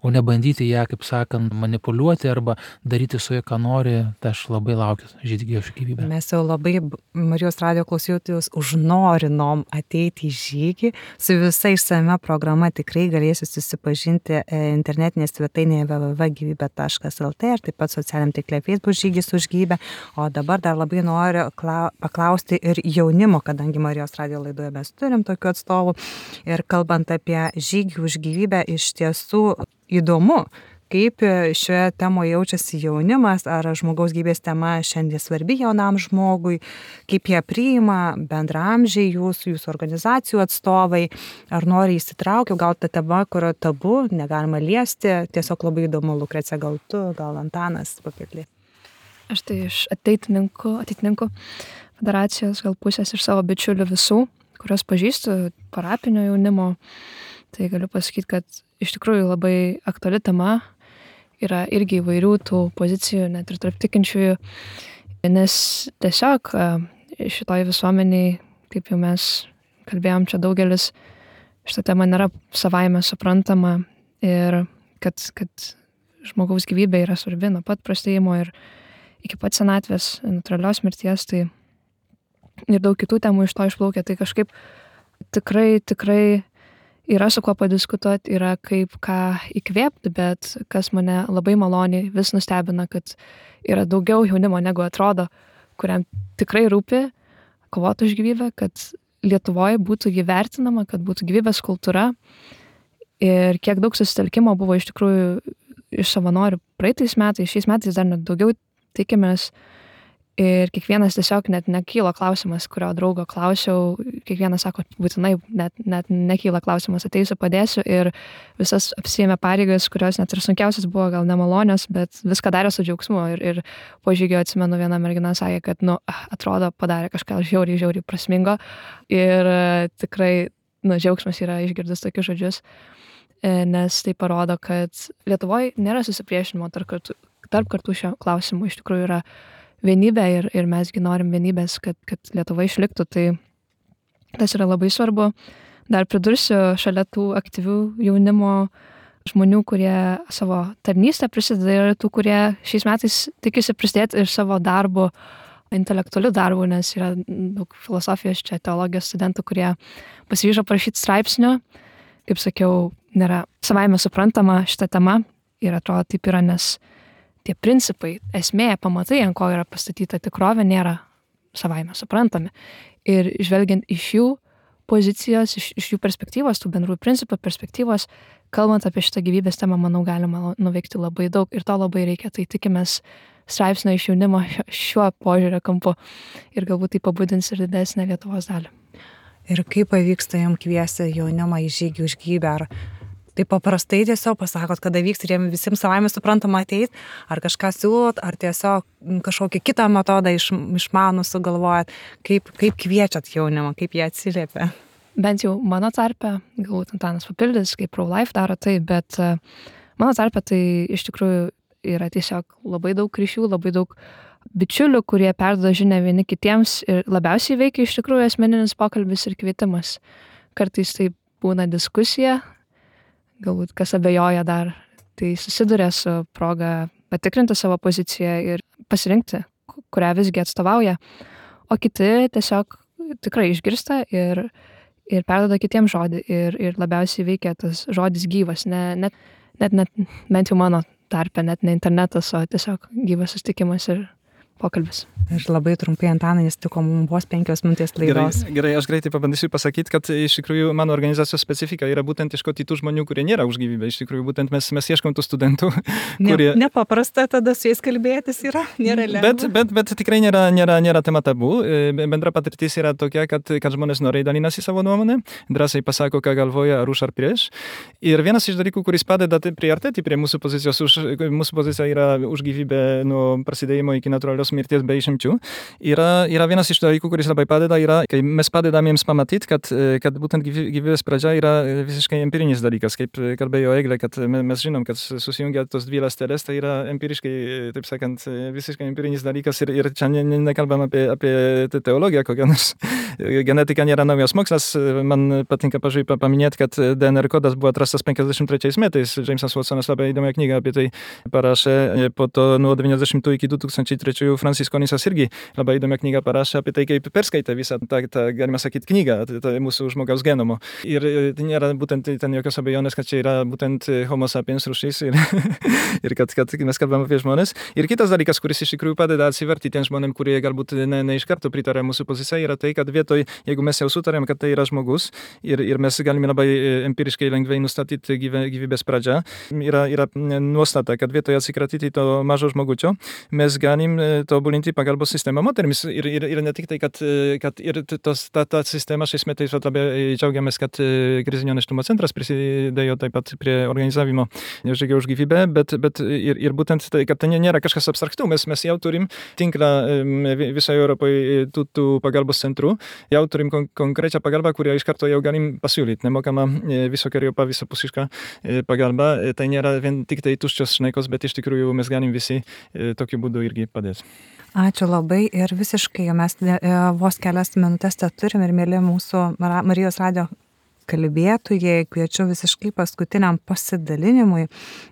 o nebandyti ją, kaip sakant, manipuliuoti arba daryti su ja, ką nori, tai aš labai laukiu žygio už gyvybę. Mes jau labai Marijos radijo klausytojus užnorinom ateiti į žygį. Su visa išsame programa tikrai galėsiu susipažinti internetinėje svetainėje w w w taškas gyvybė taškas l t ir taip pat socialiniam tinkle Facebook žygis už gyvybę. O dabar dar labai noriu paklausti ir jaunimo, kadangi Marijos radijo laidoje mes turim tokių atstovų. Ir kalbant apie žygį už gyvybę, iš tiesų įdomu, kaip šioje temoje jaučiasi jaunimas, ar žmogaus gyvybės tema šiandien svarbi jaunam žmogui, kaip jie priima bendraamžiai jūsų, jūsų organizacijų atstovai, ar nori įsitraukia, gal ta tema, kurio tabu, negalima liesti, tiesiog labai įdomu, Lukrecija, gal tu, gal Antanas papildė. Aš tai iš ateitininkų, ateitininkų federacijos gal pusės iš savo bičiulių visų, kurios pažįstu, parapinio jaunimo, tai galiu pasakyti, kad iš tikrųjų labai aktuali tema, yra irgi įvairių tų pozicijų, net ir tarp tikinčiųjų, nes tiesiog šitoj visuomeniai, kaip jau mes kalbėjom čia daugelis, šita tema nėra savaime suprantama ir kad, kad žmogaus gyvybė yra svarbi nuo pat prasidėjimo ir iki pat senatvės, natūralios mirties, tai ir daug kitų temų iš to išplaukia, tai kažkaip tikrai, tikrai yra su kuo padiskutuoti, yra kaip ką įkvėpti, bet kas mane labai maloniai vis nustebina, kad yra daugiau jaunimo negu atrodo, kuriam tikrai rūpi kovoti už gyvybę, kad Lietuvoje būtų įvertinama, kad būtų gyvybės kultūra ir kiek daug susitelkimo buvo iš tikrųjų iš savanorių praeitais metais, šiais metais dar net daugiau tikimės. Ir kiekvienas tiesiog net nekyla klausimas, kurio draugo klausiau, kiekvienas sako, būtinai net, net nekyla klausimas, ateisiu, padėsiu ir visas apsiėmė pareigas, kurios net ir sunkiausias buvo gal nemalonios, bet viską darė su džiaugsmu ir, ir po žygio atsimenu viena mergina sakė, kad nu, atrodo padarė kažką žiauriai, žiauriai prasmingo ir tikrai nu, džiaugsmas yra išgirdus tokius žodžius, nes tai parodo, kad Lietuvoje nėra susipriešinimo tarp kartų, tarp kartų šio klausimų, iš tikrųjų yra vienybė ir, ir mesgi norim vienybės, kad, kad Lietuva išliktų, tai tas yra labai svarbu. Dar pridursiu šalia tų aktyvių jaunimo žmonių, kurie savo tarnystę prisideda ir tų, kurie šiais metais tikisi prisidėti ir savo darbu, intelektualiu darbu, nes yra daug filosofijos čia, teologijos studentų, kurie pasiryžo parašyti straipsnių. Kaip sakiau, nėra savaime suprantama šita tema ir atrodo taip yra, nes tie principai, esmė, pamatai, ant ko yra pastatyta tikrovė, nėra savaime suprantami. Ir žvelgiant iš jų pozicijos, iš, iš jų perspektyvos, tų bendrų principų perspektyvos, kalbant apie šitą gyvybės temą, manau, galima nuveikti labai daug ir to labai reikia. Tai tikimės straipsnio iš jaunimo šiuo požiūrio kampu ir galbūt tai pabudins ir didesnę Lietuvos dalį. Ir kaip pavyksta jam kviesti jaunimą į žygį už gyvybę? Ar tai paprastai tiesiog pasakot, kada vyks ir jiem visiems savaime suprantama ateit, ar kažką siūlot, ar tiesiog kažkokį kitą metodą iš, išmanų sugalvojat, kaip, kaip kviečiat jaunimą, kaip jie atsiliepia? Bent jau mano tarpe, galbūt Antanas papildys, kaip Pro-Life daro tai, bet mano tarpe tai iš tikrųjų yra tiesiog labai daug ryšių, labai daug bičiulių, kurie perduoda žinią vieni kitiems ir labiausiai veikia iš tikrųjų asmeninis pokalbis ir kvietimas. Kartais tai būna diskusija, galbūt kas abejoja dar, tai susiduria su proga patikrinti savo poziciją ir pasirinkti, kurią visgi atstovauja, o kiti tiesiog tikrai išgirsta ir, ir perduoda kitiems žodį ir, ir labiausiai veikia tas žodis gyvas, ne, net, net, net bent jau mano tarpe, net ne internetas, o tiesiog gyvas susitikimas ir pokalbis. Ir labai trumpai, Antanai, nes tiko mums vos penkios minutės laidos. Gerai, gerai, aš greitai pabandysiu pasakyti, kad iš tikrųjų mano organizacijos specifika yra būtent ieškoti tų žmonių, kurie nėra už gyvybę. Iš tikrųjų, būtent mes, mes ieškom tų studentų, kurie... Ne, nepaprasta tada su jais kalbėtis yra, nėra lengva. Bet, bet, bet tikrai nėra, nėra, nėra tema tabu. Bendra patirtis yra tokia, kad, kad žmonės noriai dalinasi savo nuomonę, drąsiai pasako, ką galvoja, ar už ar prieš. Ir vienas iš dalykų, kuris padeda priartėti prie mūsų pozicijos, už, mūsų pozicija yra už gyvybę nuo prasidėjimo iki natūralios mirties be išimčių. Yra, yra vienas iš dalykų, kuris labai padeda, yra, kai mes padedam jiems pamatyti, kad, kad būtent gyvybės pradžia yra visiškai empirinis dalykas, kaip kalbėjo Eglė, kad mes žinom, kad susijungia tos dvi ląsteles, tai yra empiriškai, taip sakant, visiškai empirinis dalykas ir, ir čia ne, ne, nekalbam apie, apie teologiją kokią nors. Genetika nėra naujas mokslas, man patinka pažiūrėjau paminėti, kad D N R kodas buvo atrastas penkiasdešimt trečiais metais, Jamesas Watsonas labai įdomią knygą apie tai parašė, po to nuo devyniasdešimtų iki du tūkstančiai trečiųjų Francis Konisas irgi labai įdomią knygą parašė apie tai, kaip perskaitė visą tą, tą galima sakyti, knygą, tai, tai mūsų žmogaus genomo. Ir tai nėra būtent ten jokios abejonės, kad čia yra būtent homo sapiens rūšis ir, ir kad, kad mes kalbame apie žmonės. Ir kitas dalykas, kuris iš tikrųjų padeda atsiverti tiem žmonėm, kurie galbūt ne, ne iš karto pritarė mūsų pozicijai, yra tai, kad vietoj, jeigu mes jau sutarėm, kad tai yra žmogus ir, ir mes galime labai empiriškai lengvai nustatyti gyvė, gyvybės pradžią, yra, yra nuostata, kad vietoj atsikratyti to mažo žmogučio, mes galim tobulinti pagalbos sistemą moterims. Ir, ir, ir ne tik tai, kad, kad ir tos, ta, ta sistema šiais metais labai džiaugiamės, kad krizinio nėštumo centras prisidėjo taip pat prie organizavimo žygio už gyvybę, bet, bet ir, ir būtent tai, kad tai nėra kažkas abstraktų. Mes, mes jau turim tinklą visoje Europoje tų, tų pagalbos centrų, jau turim kon, konkrečią pagalbą, kurią iš karto jau galim pasiūlyti. Nemokama visokeriopą, visapusišką pagalbą. Tai nėra vien tik tai tuščios šnekos, bet iš tikrųjų mes galim visi tokiu būdu irgi padėti. Ačiū labai ir visiškai, mes vos kelias minutės tą turim ir mėly mūsų Marijos radio kalbėtojai, kviečiu visiškai paskutiniam pasidalinimui,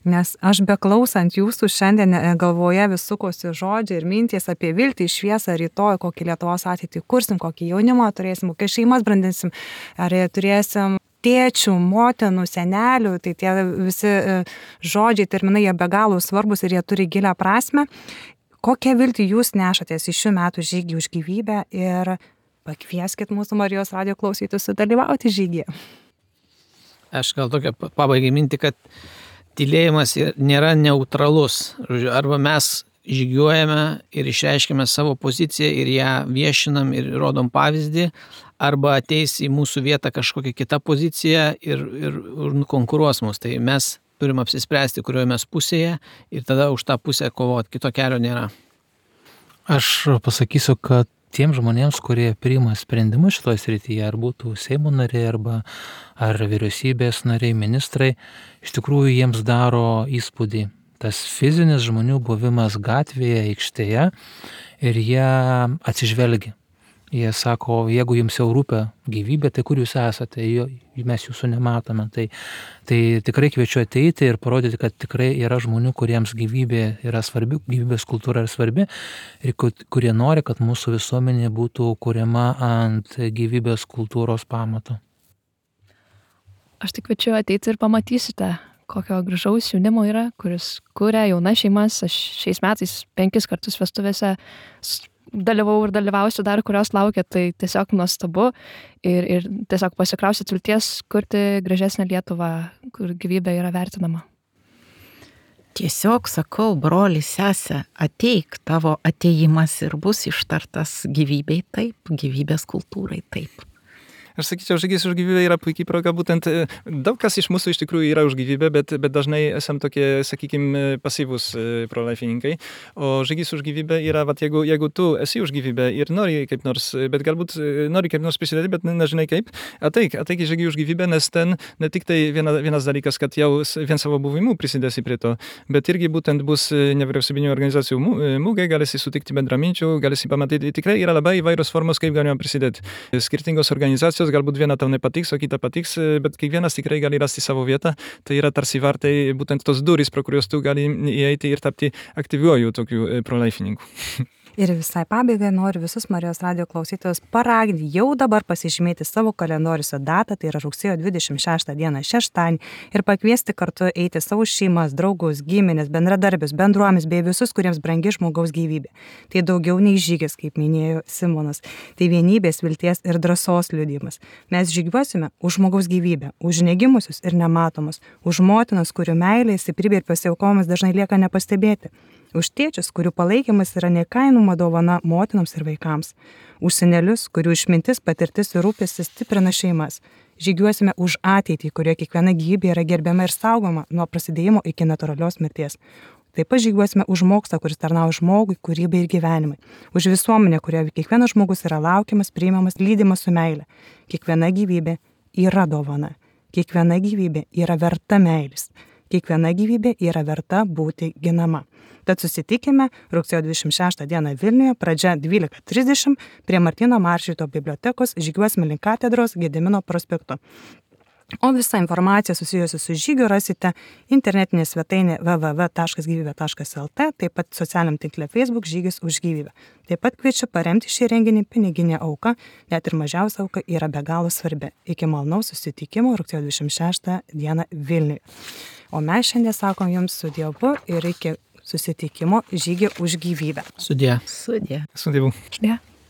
nes aš beklausant jūsų šiandien galvoje vis sukosi žodžiai ir mintys apie viltį, šviesą, rytoj, kokį Lietuvos ateitį kursim, kokį jaunimą turėsim, kokias šeimas brandinsim, ar turėsim tėčių, motinų, senelių, tai tie visi žodžiai, terminai, jie be galo svarbus ir jie turi gilią prasmę. Kokią viltį jūs nešatės į šių metų žygį už gyvybę ir pakvieskit mūsų Marijos radio klausytojus sudalyvauti žygyje. Aš gal tokia pabaigai mintį, kad tylėjimas nėra neutralus. Arba mes žygiuojame ir išreiškime savo poziciją ir ją viešinam ir rodom pavyzdį, arba ateis į mūsų vietą kažkokia kita pozicija ir, ir, ir konkuruos mus. Tai mes turim apsispręsti, kurioje mes pusėje ir tada už tą pusę kovoti. Kito kelio nėra. Aš pasakysiu, kad tiem žmonėms, kurie priima sprendimus šitoje srityje, ar būtų Seimo nariai, arba ar vyriausybės nariai, ministrai, iš tikrųjų jiems daro įspūdį tas fizinis žmonių buvimas gatvėje, aikštėje ir jie atsižvelgia. Jie sako, jeigu jums jau rūpia gyvybė, tai kur jūs esate, mes jūsų nematome. Tai, tai tikrai kviečiu ateiti ir parodyti, kad tikrai yra žmonių, kuriems gyvybė yra svarbi, gyvybės kultūra yra svarbi ir kurie nori, kad mūsų visuomenė būtų kuriama ant gyvybės kultūros pamato. Aš tik kviečiu ateiti ir pamatysite, kokio gražaus jaunimo yra, kuris kuria jaunas šeimas. Aš šiais metais penkis kartus vestuvėse dalyvau ir dalyvausiu dar, kurios laukia, tai tiesiog nuostabu ir, ir tiesiog pasikrausit vilties kurti gražesnę Lietuvą, kur gyvybė yra vertinama. Tiesiog sakau, broli, sesė, ateik, tavo ateimas ir bus ištartas gyvybei taip, gyvybės kultūrai taip. Aš sakyčiau, žygis už gyvybę yra puikiai proga, būtent daug kas iš mūsų iš tikrųjų yra už gyvybę, bet, bet dažnai esam tokie, sakykime, pasyvūs prolaifininkai. O žygis už gyvybę yra, vat, jeigu, jeigu tu esi už gyvybę ir nori kaip nors, bet galbūt nori kaip nors prisidėti, bet nežinai kaip, ateik, ateik į žygį už gyvybę, nes ten ne tik tai viena, vienas dalykas, kad jau vien savo buvimu prisidėsi prie to, bet irgi būtent bus nevyriausybinių organizacijų mūgai, galėsi sutikti bendraminčių, galėsi pamatyti, tikrai yra labai įvairios formos, kaip galima prisidėti. Skirtingos organizacijos, galbūt viena tau nepatiks, o kita patiks, bet kiekvienas tikrai gali rasti savo vietą. Tai yra tarsi vartai būtent tos durys, pro kurios tu gali įeiti ir tapti aktyviuoju tokiu prolaifininku. Ir visai pabaigai noriu visus Marijos radijo klausytojus paraginti jau dabar pasižymėti savo kalendoriuose datą, tai yra rugsėjo dvidešimt šeštą dieną šeštadienį, ir pakviesti kartu eiti savo šeimas, draugus, giminės, bendradarbius, bendruomis bei visus, kuriems brangi žmogaus gyvybė. Tai daugiau nei žygis, kaip minėjo Simonas. Tai vienybės, vilties ir drąsos liudijimas. Mes žygiuosime už žmogaus gyvybę, už negimusius ir nematomus, už motinas, kurių meilė, stiprybė ir pasiaukojimas dažnai lieka nepastebėti. Už tėčius, kurių palaikymas yra neįkainoma dovana motinams ir vaikams. Už senelius, kurių išmintis, patirtis ir rūpestis stiprina šeimas. Žygiuosime už ateitį, kurioje kiekviena gyvybė yra gerbiama ir saugoma nuo prasidėjimo iki natūralios mirties. Taip pat žygiuosime už mokslą, kuris tarnauja žmogui, kūrybai ir gyvenimai. Už visuomenę, kurioje kiekvienas žmogus yra laukiamas, priimamas, lydimas su meile. Kiekviena gyvybė yra dovana. Kiekviena gyvybė yra verta meilės. Kiekviena gyvybė yra verta būti ginama. Tad susitikime rugsėjo dvidešimt šeštą dieną Vilniuje, pradžia dvylika trisdešimt prie Martyno Maršvydo bibliotekos, žygiuosime link katedros Gedimino prospektu. O visą informaciją susijusią su žygiu rasite internetinė svetainė w w w taškas gyvybė taškas l t, taip pat socialiniam tinkle Facebook žygis už gyvybę. Taip pat kviečiu paremti šį renginį piniginė auka, net ir mažiausia auka yra be galo svarbi. Iki malonaus susitikimo rugsėjo dvidešimt šeštą dieną Vilniuje. O mes šiandien sakom jums su Dievu ir iki susitikimo žygį už gyvybę. Sudie. Sudie. Su Dievu. Sudie.